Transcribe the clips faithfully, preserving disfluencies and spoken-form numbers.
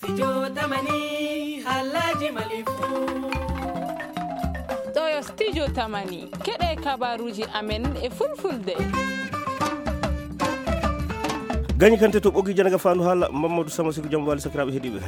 Studio Tamani, halaji Mali fu. Ɗo yo Studio Tamani, keɗe kabaruji amen e fulfulde. Gañi kante to ɓogi janaga fandu hala Mamadou Sama Siku, jam wali sakiraɓe heɗiɓe.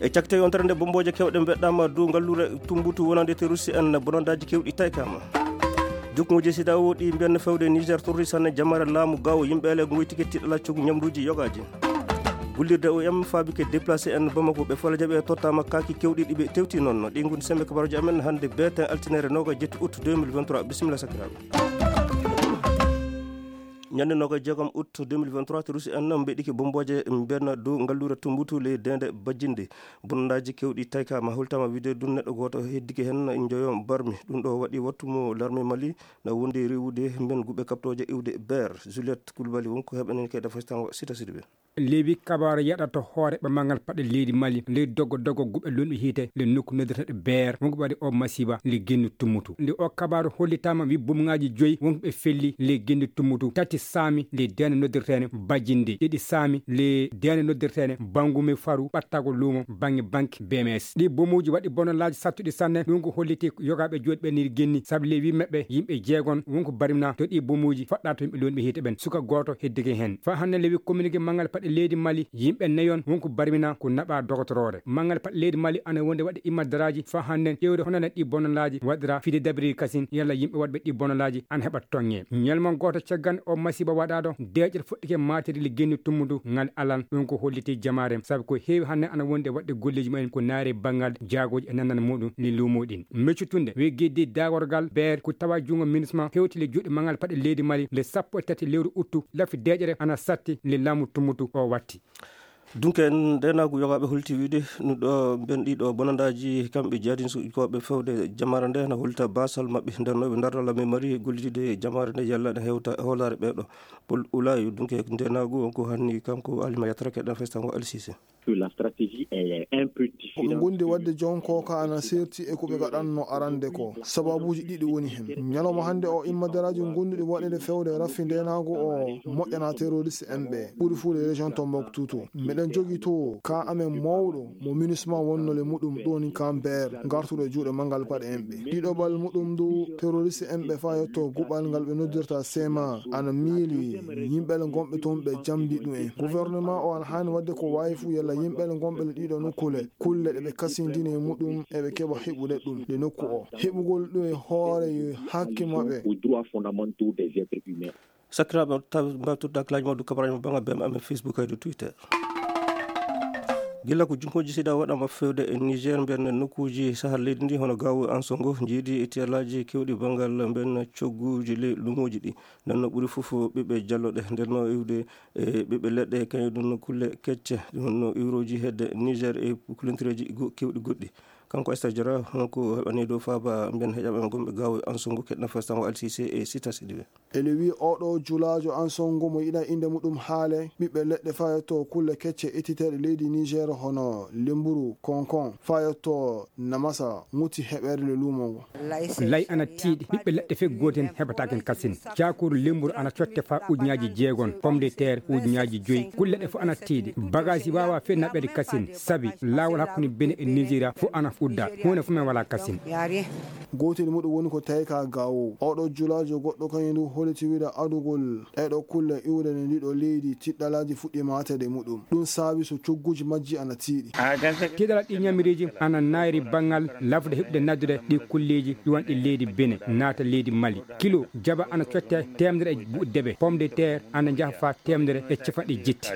E cakte yontere nde, bombooje kewɗe mbeɗɗama dow ngallure Tumbutu wonande terroriste en, bonandaji kewɗi taykama. Jukkuuje sida o ɗi mbiyanno fewde Niger torri sanne jamare laamu gawo yimɓe ele ngoyti kettiɗo laccugu ñamruji yogaji. Gullirde O M faabike déplacé en Bamako, ɓe folajaɓe tottama kaki kewɗi ɗi ɓe tewti noon. Ɗi ngoni sembe kabaruji amen hande beten altinere noga jetti août deux mille vingt-trois. Bisimilla sakiraɓe. Ñande noga jeegom août deux mille vingt-trois, terroriste en mbeɗike bombooje mbenna dow ngallure Tumbutu ley dende Bajinde. Bonandaji kewɗi taykama, holtama wiide ɗum neɗɗo goto heddike hen, joyo barmi. Ɗum ɗo waɗi wattu mo l'armée Mali na wondi rewude mben guɓe kaptoje iwde Ber. Juliette Koulibaly wonko heɓanen kayda fastango Sita Sidibé. Lewi kabaru yaɗata hoore ɓe mangal paɗe leydi Mali, ley dogo dogo guɓe lunɗo hiite, le nokku noddirteɗo Ber, wonko ɓe waɗi o masiba, le genni Tummutu. Nde o kabaru hollitama wi bumŋaji joyi wonko ɓe felli le genni Tummutu, tati saami le dende noddirtene Bajinde, ɗiɗi saami le dende noddirtene Bangume Faru, ɓattago luumo bange banque B M S. Ɗi bomuji waɗi bonolaji sattuɗi sanne, ɗum ko holliti yogaɓe joɗi ɓe nir genni, sabu le wi maɓɓe yimɓe jeegon wonko barmina to ɗi bomuji faɗɗa to yimɓe lonɓe hiite ɓen. Suka goto heddike hen. Fa hande le wi communiqué mangal paɗe leydi Mali, yimɓe nayon wonko barmina ko naɓa dogotorore. Mangal paɗe leydi Mali ana wonde waɗde immadaraji fa hande ƴewde honande ɗi bonolaji waɗira fide dabiri kasin yalla yimɓe waɗɓe ɗi bonolaji ana heɓa tonge. Ñalma goto caggan o masiba waɗaɗo, deƴƴere fuɗɗike matiri le genni Tummutu ngal alan, ɗum ko holliti jamaare, sabu ko heewi hannde ana wonde waɗde golleji mumen ko naare banngal jaagoji e nandana muɗum le luumo ɗin. Meccutunde, we geddi dagorgal Ber ko tawa junngo minisma hewti le juuɗe mangal paɗe leydi Mali le sappo e tati lewru uttu, lafi deƴƴere ana satti le laamu Tummutu o watti. Dunke en ndenagu yogaɓe holti wiide no ɗo ben ɗiɗo bonandaji kamɓe jihadin suɓikoɓe fewde jamare nde na holta basal maɓɓe nder no ɓe darnala men mari gollitide jamare nde yalla ne hewta hoolare ɓeɗo. Pol Ulayu dunke ndenagu on ko hanni kanko Alima Yatra keɗen festango Alsise. Que la stratégie est un peu différente. Ko ɓe gondi wadde jonko ka ana serti e ko ɓe gaɗanno arande ko. Sababuji ɗiɗi woni hen. Ñalawma hande o immadaraji gonduɗi waɗede fewde raffi ndenagu o moƴƴana terroriste en ɓe. Ɓuri fuu le région Tombouctou to. Meɗen jogi to ka amen mawɗo mo minusma wonnole muɗum ɗoni Camber gartuɗo e juuɗe mangal paɗe en ɓe. Ɗiɗo bal muɗum du terroriste en ɓe fa yetto guɓal ngal ɓe noddirta sema ana miili yimɓe le gonɓe toon ɓe jamdi ɗum en. Gouvernement o ana hani wadde ko wawi fuu yalla yimɓe le gonɓe le ɗiɗo nokkule kulle ɗe ɓe kasindini e muɗum e ɓe keɓa heɓude ɗum le nokku o. Heɓugol ɗum e hoore yo hakke maɓɓe. Aux droits fondamentaux des êtres humains. Sakiraaɓe, tawi mbawi tottude hakkillaaji mawɗi kabaraaji mo banngal B M amen Facebook e dow Twitter. Gila ko junkooji sida waɗama fewde e Niger, mbiyen nokkuuji sahal leydi ndi hono Gao e Ansongo, jiidi e tiyalaaji kewɗi banngal mbiyen cogguuji ley luumooji ɗi. Nden no ɓuri fof ɓiɓɓe jalloɗe, nden no iwde e ɓiɓɓe leɗɗe, kañum ɗum no kulle kecce, ɗum no iwrooji hedde Niger e kulentureeji go-, kewɗi goɗɗi. Kanko Esther Diarra, honko heɓani dow faaba mbiyen heƴaɓe gonɓe Gao e Ansongo, keɗna festango Alsise e Sita Sidibe. Ene wiyi oɗo julaajo Ansongo mo yiɗa innde muɗum haale, ɓiɓɓe leɗɗe fayotoo kulle kecce ittiteeɗe leydi Niger hono lemburu, konkon, fayotoo namasa, ŋutti heɓeere le luumo ngo. Lay ana tiiɗi, ɓiɓɓe leɗɗe fek gooten heɓataken kasin. Caakuru lemburu ana cotte fa ujunnaaji jeegon, pomme de terre ujunnaaji joyi, kulle ɗe fof ana tiiɗi. Bagaaji waawa fek naɓeede kasin, sabi laawol hakkunde Benin e Nigeria fof ana udda, huunde fof men wala kasin. Gootel muɗum woni ko tawi ka Gao. Oɗo julaajo goɗɗo kañum du holiti wiide adugol ɗeɗo kulle iwde ne ndiɗo leydi tiɗɗalaaji fuɗɗi maatede muɗum. Ɗum saabi so cogguji majji ana tiiɗi. Tiɗɗalal ɗi ñamiriiji ana naayri banngal lafde heɓude naddude ɗi kulleeji iwanɗi leydi Benin naata leydi Mali. Kilo jaba ana cotte teemedere e buuɗi debe, pomme de terre ana njaha fa teemedere e capanɗe jetti.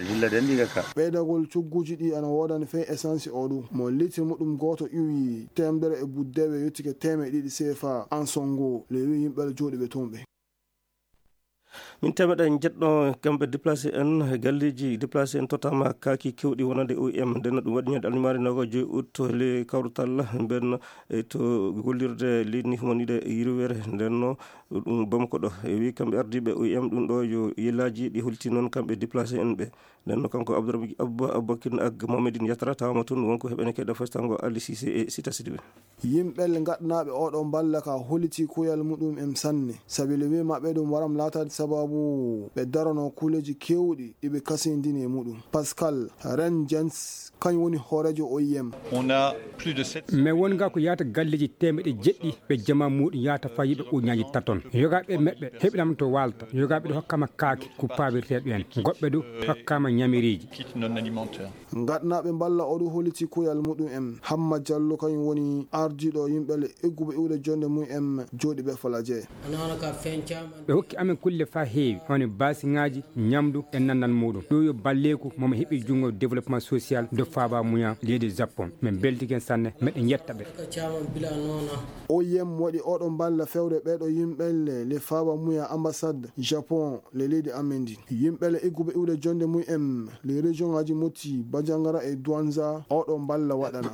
Ɓeydagol cogguji ɗi ana woodani fey essence o ɗum. Mo litre muɗum gooto iwi teemedere e buuɗi debe yottike teemeɗe ɗiɗi C F A Ansongo, le wi yimɓe jooɗiɓe toon ɓe. Min temeɗe jeɗɗo kamɓe déplacé en, galleji déplacé en tottama kaaki kewɗi wonande O I M. Nden no ɗum waɗi ñande aljumaare noga joyi août le kawrutal mben e to gollirde leydi ni humanide yirwere. Nden no ɗum Bamako ɗo. E wi kamɓe ardiɓe O I M ɗum ɗo yo yillaji ɗi holti noon kamɓe déplacé en ɓe. Nden no kanko Abdourahmane Abba, Aboubacry ak Mohamedine Yatra tawama toon wonko heɓene keɗa festango Ali Cissé e Sita Sidibé. Yimɓe le gaɗanaaɓe oɗo mballa ka holiti kuyal muɗum en sanne. Sabi le wi maɓɓe ɗum waram laataade sababu Ɓe darono kuuleeji keewɗi ɗi ɓe kasindini e muɗum. Pascal Renjens, kañum woni hooreejo O I M. On a plus de sept cents. Mais wonga ko yahata galleeji teemeɗe jeɗɗi ɓe jama muɗum yahata faa yiɓe ujunnaaji taton. Yogaaɓe maɓɓe heɓi ɗam to waalta. Yogaaɓe ɗo hokkama kaake ko paabirteeɗo en. Goɗɓe du hokkama ñamiriiji. Kit non alimentaire. Ngaɗnaaɓe mballa oɗo holliti kuyal muɗum en. Hamma Jallo kañum woni ardiiɗo yimɓe le egguɓe iwde jonde mum en jooɗi ɓe Falaje. Ɓe hokki amen kulle faa heewi, hono baasiŋaaji, ñamdu e nandal muɗum. Ɗo yo balleeku mo mi heɓi junngo développement social de Faaba Muya leydi Japon. Min mbeltiken sanne, meɗen yetta ɓe. O I M waɗi oɗo mballa fewre ɓeɗo yimɓe le, le Faaba Muya ambassade Japon le leydi amen ndi. Yimɓe le egguɓe iwde jonde mum en le région aji Moti, Bajangara e Douanza oɗo mballa waɗana.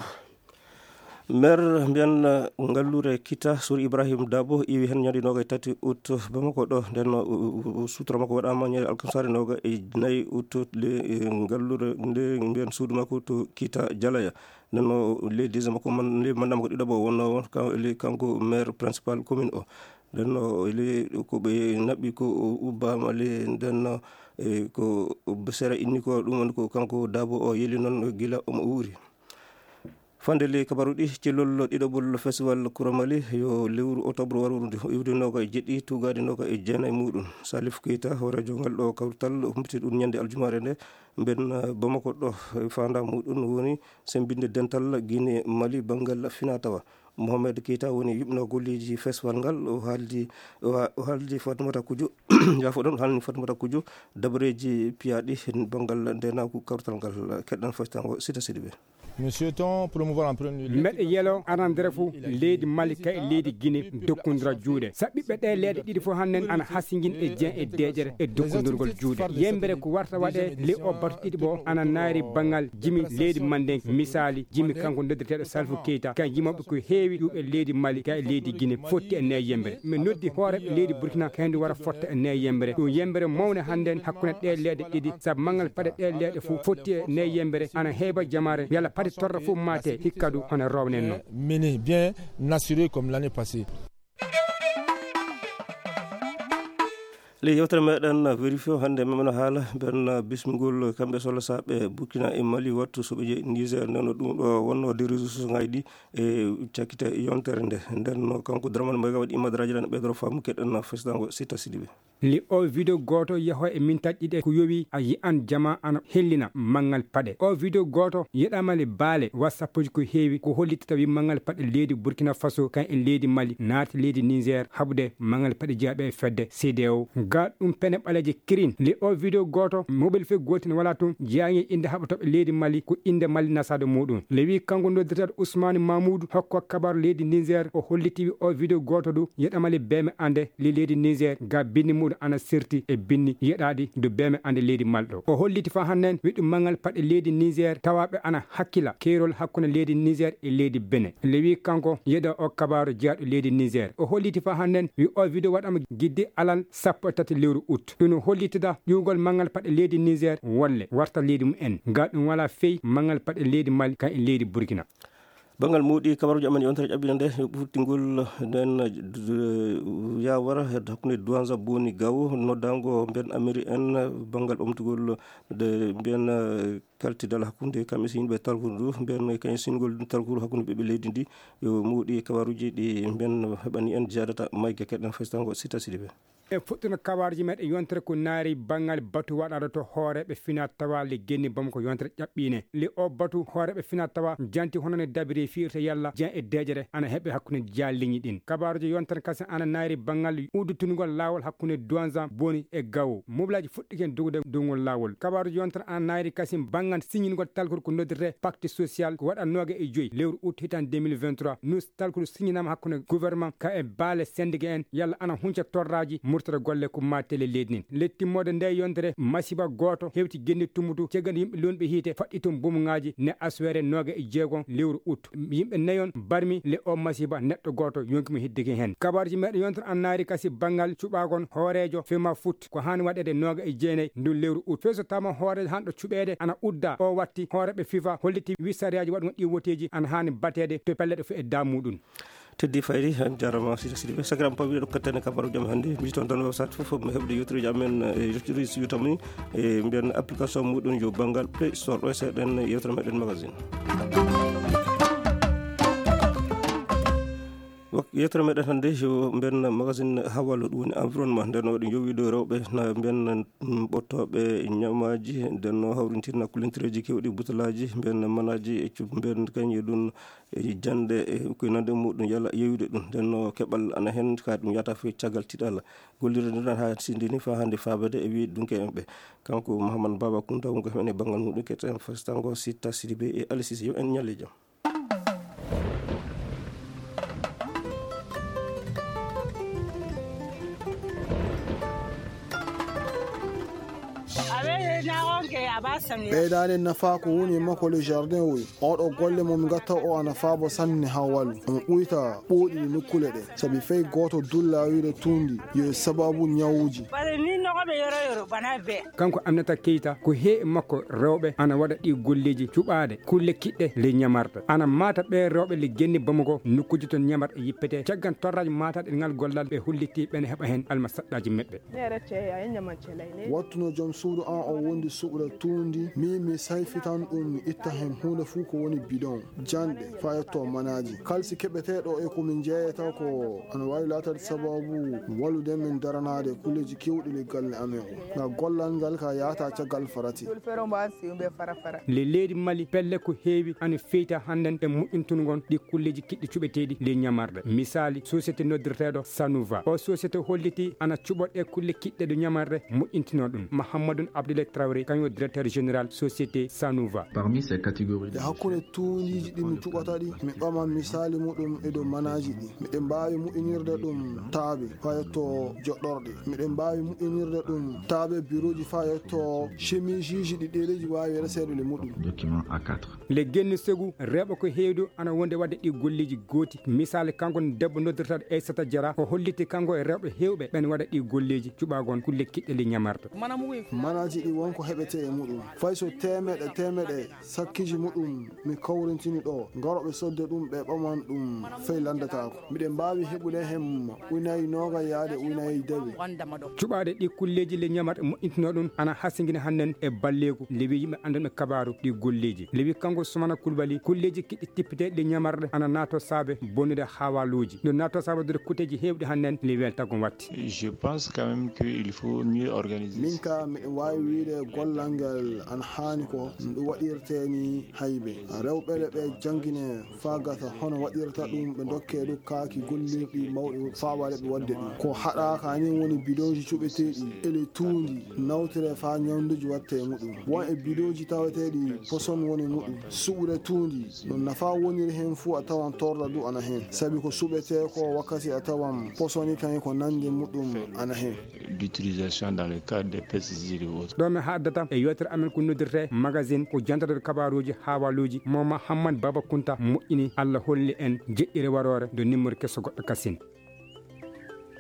Maire mbiyan ngalluure Kita, Sour Ibrahim Dabo, iwi heen ñande noogay tati août Bamako ɗo. Nden no, o, o, o, suutra makko waɗaama ñande alkamsaare nooga e nayi août, le, e, ngalluure nde mbiyan suudu makko to Kita Jalaya. Nden no le deuxième makko man, le mandat makko ɗiɗaɓo wonno won ka-, le kanko maire principal commune o. Nden no le ko ɓe naɓɓi ko o ubbaama le nden no, e, ko sera inni ko ɗum woni ko kanko Dabo o yeli noon gila omo uuri. Fande ley kabaruɗi, cellol ɗiɗaɓol festival Kuramali yo lewru octobre warude iwde noga e jeɗɗi, tugaade noga e jeenayi muɗum. Salif Keita, hooreejo ngal ɗo kawtal, humpiti ɗum ñande aljumaare nde. Mben, eh, Bamako ɗo, eh, fanda muɗum woni sembinde dental Guinée Mali banngal finatawa. Mohamed Keita woni yuɓno golleji festival ngal. O haaldi, o ha-, o haaldi Fatmata Kujo, yaafo ɗon, o haalni Fatmata Kujo dabareji piyaɗi banngal ndenaku kawtal ngal. Keɗɗan faytango Sita Sidibe. Nous souhaitons promouvoir en premier lieu. Mbeɗe yelo arandere fof leydi Mali kay e leydi Guinée dokkondira juuɗe. Sa ɓiɓɓe ɗe leyɗe ɗiɗi fof hannden ana hasinjin e Dieng e deeƴere e dokkondirgol juuɗe. Yembere ko warta waɗe ley o batu ɗiɗi ɓo ana naari banngal jimi leydi Manden, misali jimi kanko noddirteeɗo Salfu Keita, kay jimoɓe ko heewi ɗuɓe leydi Mali kay e leydi Guinée fotti e nde yembere. Mi noddi hooreɓe leydi Burkina kay ndu wara fotta e nde yembere. Ɗum yembere mawne hannden hakkunde ɗe leyɗe ɗiɗi, sabu manngal paɗe ɗe leyɗe fof fotti e nde yembere ana heeɓa jamaare, yalla paɗe torra fof maate hikka du hono rownen noon. Mené bien assuré comme l'année passée. Ley yewtere meɗen vérifié hannde meɗen haala ɓen bismigol kamɓe sohla saɓe Burkina e Mali wattu so ɓe jeeyi Niger, nden no ɗum ɗo wonno de réseau social ngaji ɗi e cakkite yontere nde. Nden no kanko Dramane Mayga waɗi imadraji ɗan ɓeydoro faamu keɗen fesitango Sita Sidibe. Li o vidéo gooto yaho e mintaji ɗiɗi ko yowi a yi'an jama ana hellina manngal paɗe. O vidéo gooto yeɗama le baale wa sappoji ko heewi ko holliti tawi manngal paɗe leydi Burkina Faso kan e leydi Mali naati leydi Niger haɓude manngal paɗe jeyaɓe e fedde C D A O. Ga ɗum pene ɓaleeje kirin. Li o vidéo gooto mobile fe gootin wala tun jeyaŋi innde haɓatoɓe leydi Mali ko innde Mali nasade muɗum. Le wi kanko noddirteeɗo Ousmane Mamoudou hokko kabaru leydi Niger o holliti wi o vidéo gooto du yeɗama le beme ande li leydi Niger ga binni muɗum ana sirti e binni yeɗaɗi du beme ande leydi Mali ɗo. O holliti fa hannen wi ɗum manngal paɗe leydi Niger tawaɓe ana hakkila keerol hakkunde leydi Niger e leydi Benin. Le wi kanko yeɗa o kabaru jeyaɗo leydi Niger. O holliti fa hannen wi o vidéo waɗama gidde alal sappo e tati lewru août. Ɗum no hollitida ƴuwgol manngal paɗe leydi Niger wolle warta leydi mum en. Ga ɗum wala fey manngal paɗe leydi Mali kan e leydi Burkina. Banngal muuɗi kabaruuji amen yontere ƴaɓɓinde nde, ɓurtingol nden, eh, yawara hakkunde Douanza Boni Gawo, noddango mbiyen Amiri en, banngal ɓamtugol nde mbiyen, eh, kaltidal hakkunde kam e si yimɓe talkuru ndu, mbiyen kañum singol talkuru hakkunde ɓiɓɓe leydi ndi, yo muuɗi kabaruuji ɗi mbiyen heɓani en jaadata mayga keɗen festango Sita Sidibe. E fuɗɗuno kabaruuji meɗen yontere ko naari banngal batu waɗaɗo to hooreɓe fina tawa le genni bam ko yontere ƴaɓɓine. Le o batu hooreɓe fina tawa janti hono ne dabiri fiirta yalla jen e deejere ana heɓe hakkunde jaalliñi ɗin. Kabaruuji yontere kasen ana naari banngal uddutunugol laawol hakkunde Douanza Boni e Gawo. Moblaji fuɗɗiken dogude dow ngol laawol. Kabaruuji yontere ana naari kasen banngal siñingol talkol ko noddirte pacte social ko waɗa nooga e joyi lewru août hitan deux mille vingt-trois. Nus talkuru siñinama hakkunde gouvernement ka e baale sendike en yalla ana hunca torraji murtere golle ko mattele leydi ndin. Le timmode nde yontere masiba gooto hewti genni tummutu ceggal yimɓe lonɓe hiite faɗɗi toon bomuŋaaji ne aswere nooga e jeegon lewru août. Yimɓe nayon barmi le o masiba neɗɗo gooto yonki mo hiddeki heen. Kabaruuji meɗen yontere an naari kasi banngal cuɓaagon hooreejo fema foot ko haani waɗeede nooga e jeenayi ndun lewru août. Fey so tama hooreejo hanɗo cuɓeede ana udda o watti hooreɓe fifa holliti wi sariyaaji waɗugo ɗi woteeji ana haani bateede to pelle ɗo fof e damuɗum. Teddi fayri, en jarama sida sidi ɓe sakiram pawiɗe ɗo kattane kabaru jam hannde. Mbiton tan website fof mo heɓde yewtereji amen e yewtereji siwitami e mbiyan application muɗum yo banngal Play Store ɗo e seeɗen yewtere meɗen magazine. Yewtere meɗen hannde yo mbiyan magazine hawalo ɗum woni environnement, nden waɗi jowiɗo rewɓe na mbiyan ɓottoɓe ñamaji, nden no hawrintirna kulentereji kewɗi butalaji mbiyan manaji e mbiyan kañe ɗum e jannde e koye nande muɗum yala yewude ɗum. Nden no keɓal ana heen ka ɗum yata fof caggal tiɗal gollirde nden ha sindini fa hannde faabede e wi dunke en ɓe. Kanko Mouhammad Baba Kounta wonko heɓen e banngal muɗum keɗen fastango Sitta Sidibe e Alisis yo en ñalle jam. Ɓeydaade nafa ko woni e makko le jardin oy. Oɗo golle mo mi gatta o ana faabo sanne ha walu. Omo ɓuyta ɓooɗi ɗi nokkule ɗe. Sabi fey gooto dulla wiide tuundi yo e sababu ñawuji. Kanko Aminata Keita ko he e makko rewɓe ana waɗa ɗi golleji cuɓaade kulle kiɗɗe le ñamarta. Ana mata ɓe rewɓe le genni Bamako nokkuji ton ñamarta yippete. Caggan torraji mataɗe ngal gollal ɓe holliti ɓene heɓa hen alma saɗɗaji meɓɓe. Wattuno joom suudu an o wondi suɓra tuundi mi mi sayfitan ɗum mi itta hen huunde fuu ko woni bidon janɗe fa yetto manaji kalsi keɓeteɗo e ko min jeeyata ko ana wawi latade sababu wallude min daranaade kulleji kewɗi le galle amen o nga gollal ngal ka yahata caggal farati. Le leydi Mali pelle ko heewi ana feyta hannden e moƴƴintungon ɗi kulleji kiɗɗi cuɓeteeɗi ley ñamarɗe. Misaali, société noddirteeɗo Sanouva. O société holliti ana cuɓa ɗe kulle kiɗɗe ɗo ñamarɗe moƴƴintinoo ɗum. Mahammadun Abdoulaye Traoré, kañum o directeur général société Sanouva. E hakkunde tuundiiji ɗi mi cuɓata ɗi, mi ɓama misaali muɗum e dow manaaji ɗi. Miɗen mbaawi moƴƴinirde ɗum taabe faa yetto joɗɗorɗe. Miɗen mbaawi moƴƴinirde ɗum taabe birooji faa yetto chemiseeji ɗi ɗereeji waawi reseede le muɗum. Le genni segu rewɓe ko heewdu ana wonde waɗde ɗi golleeji gooti. Misaali kanko debbo noddirtaɗo Aissata Diarra o holliti kanko e rewɓe heewɓe ɓen waɗa ɗi golleeji cuɓaagon kulle kiɗɗe le ñamarta. Manaaji ɗi wonko heɓete e muɗum fay so teemeɗe teemeɗe sakkiiji muɗum mi kawrintini ɗo garoɓe sodde ɗum ɓe ɓaman ɗum fay landataako. Miɗen mbaawi heɓude hem unayi nooga yaade unayi dewe. Cuɓaade ɗi kulleeji le ñamarɗe moƴƴintinoo ɗum ana hasingina hannden e balleeku le wi yimɓe anndanɓe kabaaru ɗi golleeji le wi kanko Sumana Kulbali kulleeji kiɗɗi tippiteeɗi le ñamarɗe ana naato saabe bonnude haawaluuji no naato saabe dude kuteeji heewɗi hannden le weltago watti. Min ka miɗo waawi wiide gollal ngal ana haani ko ɗum waɗirtee ni haybe rewɓe le ɓe janngine faa gasa hono waɗirta ɗum ɓe ndokkee ɗum kaaki gollirɗi mawɗi faa waɗa ɓe waɗde ɗum ko haɗaaka ni woni bidooji cuɓeteeɗi ele tuundi nawtire faa ñawnduji watte e muɗum won e bidooji taweteeɗi poson woni muɗum suɓude tuundi no nafa woniri heen fuu a tawan torra du ana heen sabi ko suɓetee ko wakkati a tawan posoni kañum ko nannde muɗum ana heen. D'utilisation dans le cadre des pesticides et autres. Ɗo mi haaddata e yewtere amen ko noddirte magazine ko jantatorde kabaruuji haawaluuji mo Mahammad Baba Kunta moƴƴini Allah holli en jeɗɗire waroore do nimmori keso goɗɗo kasin.